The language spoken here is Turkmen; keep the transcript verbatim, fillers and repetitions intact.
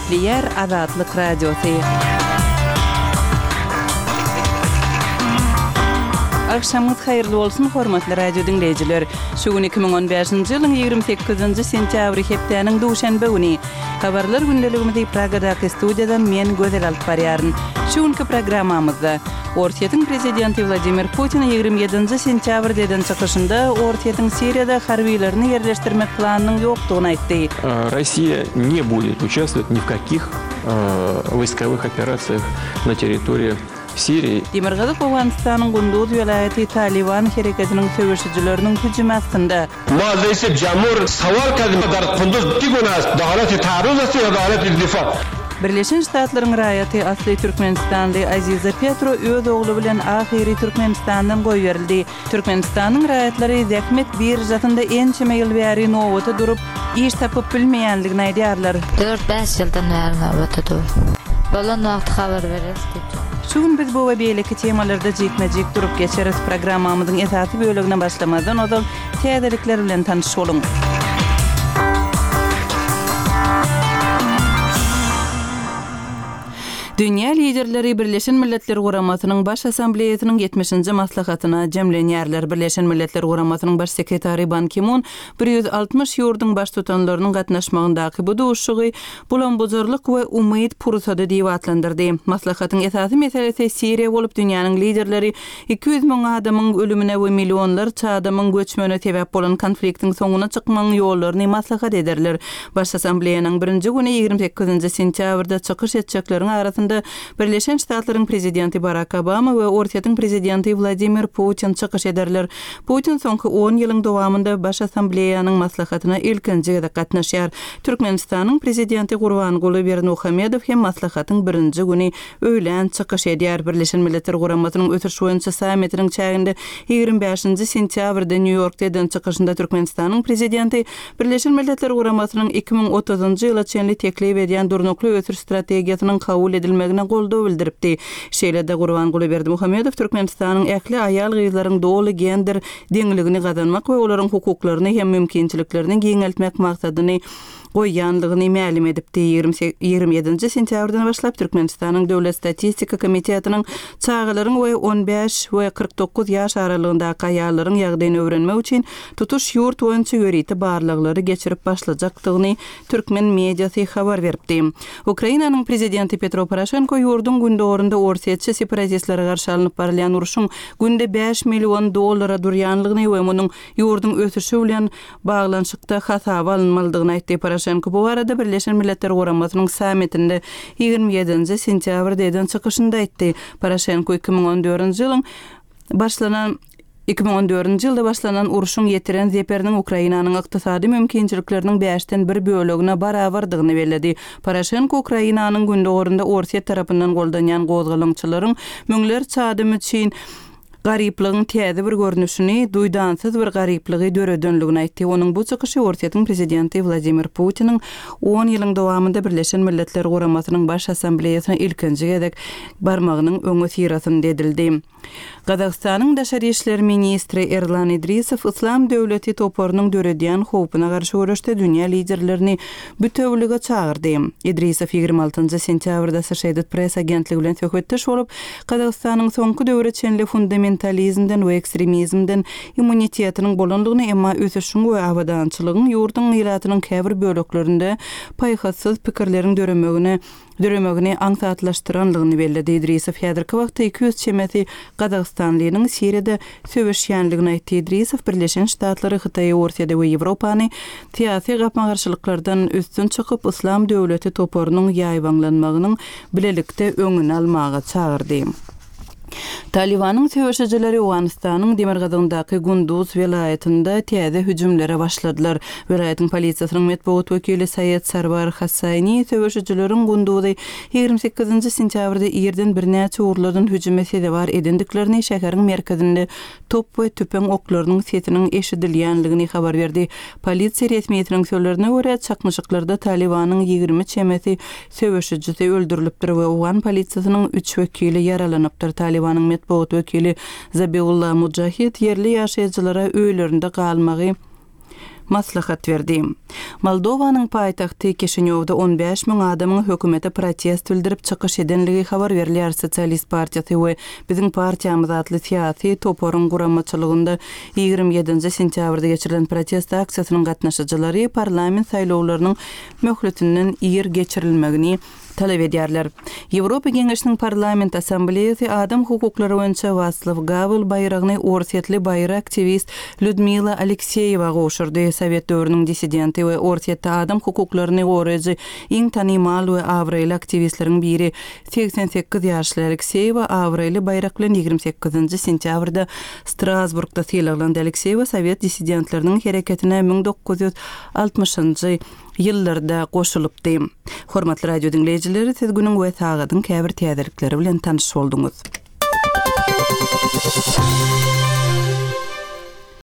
Gepleýär Azatlyk Radiosy. Agşamyňyz haýyrly bolsun, hormatly radio diňleýjiler! Şu gün iki müň on bäşinji ýylyň ýigrimi sekizinji sentýabry hepdäniň duşenbe güni. Habarlar gündeligimizi Pragadaky studiýadan men Gözel alyp barýaryn. Şu günki programmamyzda, Orsýetiň prezidenti Wladimir Putin ýigrimi ýedinji sentýabrda eden çykyşynda Orsýetiň Siriýada harbylaryny ýerleşdirmek planynyň ýokdugyny aýtdy. Rossiýa ne будет участвовать ни в каких wojskowych operasiýah na territoriýi Siriýi. Demirgazyk Owganystanyň Gunduz welaýaty Talyban hereketiniň söweşijileriniň hüjümi astynda. Ma reisi jamhur sowal kardym dar Kunduz ki guna ast da halati taarruz ast ýa da halati difa. Birleşen Ştatlaryň raýaty, asly türkmenistanly Aziza Petro öz ogly bilen ahyry Türkmenistandan goýberildi. Türkmenistanyň raýatlary zähmet biržasynda ençeme ýyl bäri nobata durup, iş tapyp bilmeýändigini aýdýarlar. Dört-bäş ýyldan bäri nobata dur. Bolan wagty habar bereris diýip. Şu gün biz bu we beýleki temalarda jikme-jik durup geçeris. Programmamyzyň esasy bölegine başlamazdan ozal täzelikler bilen tanyş boluň. Dünýä liderleri Birleşen Milletler Guramasynyň Baş Assambleýasynyň ýetmişinji maslahatyna jemlenýärler. Birleşen Milletler Guramasynyň Baş sekretary Ban Ki-mun bir ýüz altmyş ýurduň baştutanlarynyň gatnaşmagyndaky bu duşuşygy bulam-bujarlyk we umyt pursady diýip atlandyrdy. Maslahatyň esasy meselesi Siriýa bolup, dünýäniň liderleri iki ýüz müň adamyň ölümine we millionlarça adamyň göçmegine sebäp bolan konfliktiň soňuna çykmagyň ýollaryny maslahat ederler. Baş Assambleýanyň birinji güni ýigrimi sekizinji sentýabrda çykyş etjekleriň arasynda Birleşen Ştatlaryň prezidenti Barak Obama we Orsýetiň prezidenti Wladimir Putin çykyş ederler. Putin soňky on ýylyň dowamynda Baş Assambleýanyň maslahatyna ilkinji gezek gatnaşýar. Türkmenistanyň prezidenti Gurbanguly Berdimuhamedow hem maslahatyň birinji güni öýlän çykyş edýär. Birleşen Milletler Guramasynyň ösüş boýunça sammitiniň çäginde ýigrimi bäşinji sentýabrda Nýu-Ýorkda eden çykyşynda Türkmenistanyň prezidenti Birleşen Milletler Guramasynyň iki müň otuzynjy ýyla çenli teklip edýän durnukly ösüş strategiýasynyň kabul edilmegine goldaw bildiripdi. Şeýle-de Gurbanguly Berdimuhamedow Türkmenistanyň ähli aýal-gyzlaryň doly gender deňligini gazanmak we olaryň hukuklaryny hem mümkinçiliklerini giňeltmek maksadyny goýýanlygyny mälim edipdi. Ýigrimi ýedinji sentýabrdan başlap Türkmenistanyň Döwlet statistika komitetiniň çagalaryň we on bäş we kyrk dokuz ýaş aralygyndaky aýallaryň ýagdaýyny öwrenmek üçin tutuş ýurt boýunça ýörite barlaglary geçirip başlajakdygyny türkmen mediasy habar beripdi. Ukrainanyň prezidenti Petro Poroşenko ýurduň gündogarynda orsýetçi separatistlere garşy alnyp barylýan urşuň günde bäş million dollara durýanlygyny we munuň ýurduň ösüşi bilen baglanyşykda hasaba alynmalydygyny aýtdy. Poroşenko bu barada Birleşen Milletler Guramasynyň sammitinde ýigrimi ýedinji sentýabrda eden çykyşynda aýtdy. Poroşenko iki müň on dördünji ýylyň başlanan iki müň on dördünji ýylda başlanan urşuň ýetiren zeperiniň Ukrainanyň ykdysady mümkinçilikleriniň bäşden bir bölegine barabardygyny belledi. Poroşenko Ukrainanyň gündogarynda Orsýet tarapyndan goldanýan gozgalaňçylaryň müňlerçe adam üçin garyplygyň täze bir görnüşini, duýdansyz bir garyplygy döredenligini aýtdy. Onuň bu çykyşy Orsýetiň prezidenti Wladimir Putiniň on ýylyň dowamynda Birleşen Milletler Guramasynyň Baş Assambleýasyna ilkinji gezek barmagynyň öňi syrasynda edildi. Gazagystanyň daşary işler ministri Erlan Idrisow Yslam döwleti toparynyň döredýän howpuna garşy göreşde dünýä liderlerini bütewlige çagyrdy. Idrisow ýigrimi altynjy sentýabrda Associated Press agentligi bilen söhbetdeş bolup, Gazagystanyň soňky döwre çenli fundamentalizmden we ekstremizmden immunitetiniň bolandygyny, emma ösüşiň we abadançylygyň ýurduň ilatynyň käbir böleklerinde paýhassyz pikirleriň döremegine döremegini aňsatlaşdyranlygyny belledi. Idrisow häzirki wagtda iki ýüz çemesi Gazagystanlynyň Siriýada söweşýänligini aýtdy. Idrisow Birleşen Ştatlary, Hytaýy, Orsýeti we Ýewropany syýasy gapma-garşylyklardan üstün çykyp, Yslam döwleti toparynyň ýaýbaňlanmagynyň bilelikde öňüni almaga çagyrdy. Talibanyň söweşijileri Owganystanyň demirgazygyndaky Gunduz welaýatynda täze hüjümlere başladylar. Welaýatyň polisiýasynyň metbugat wekili Saýed Sarwar Hassani söweşijileriň Gunduzy ýigrimi sekizinji sentýabrda irden birnäçe ugurlardan hüjüme sezewar edendiklerini, şäheriň merkezinde top we tüpeň oklarynyň sesiniň eşidilýänligini habar berdi. Polisiýa resmiýetiniň sözlerine görä, çaknyşyklarda Talibanyň ýigrimi çemesi söweşijisi öldürilipdir we Owgan polisiýasynyň üç wekili ýaralanypdyr. Talibanyň metbugat wekili Zabiullah Mujahid ýerli ýaşaýjylara öýlerinde galmagy Maslahat berdi. Moldowanyň paýtagty Kişinýowda on bäş müň adamyň hökümete protest bildirip çykyş edenligi habar berilýär. Sosialist partiýasy we Biziň partiýamyz atly syýasy toparyň guramaçylygynda ýigrimi ýedinji sentýabrda geçirilen protest aksiýasynyň gatnaşyjylary parlament saýlawlarynyň möhletinden ir geçirilmegini talap edýärler. Ýewropa Geňeşiniň Parlament Assambleýasy adam hukuklary boýunça Waslaw Gawel baýragyny orsýetli baýry aktiwist Lýudmila Alekseýewa gowşurdy. Sowet döwrüniň dissidenti we Orsýetde adam hukuklaryny goraýjy iň tanymal we abraýly aktiwistleriň biri segsen sekiz ýaşly Alekseýewa abraýly baýrak bilen ýigrimi sekizinji sentýabrda Strasburgda sylaglandy. Alekseýewa sowet dissidentleriniň hereketine müň dokuz ýüz altmyşynjy ýyllarda goşulypdy. Hormatly radio diňleýjileri, siz günüň we sagadyň käbir täzelikleri bilen tanyş bolduňyz.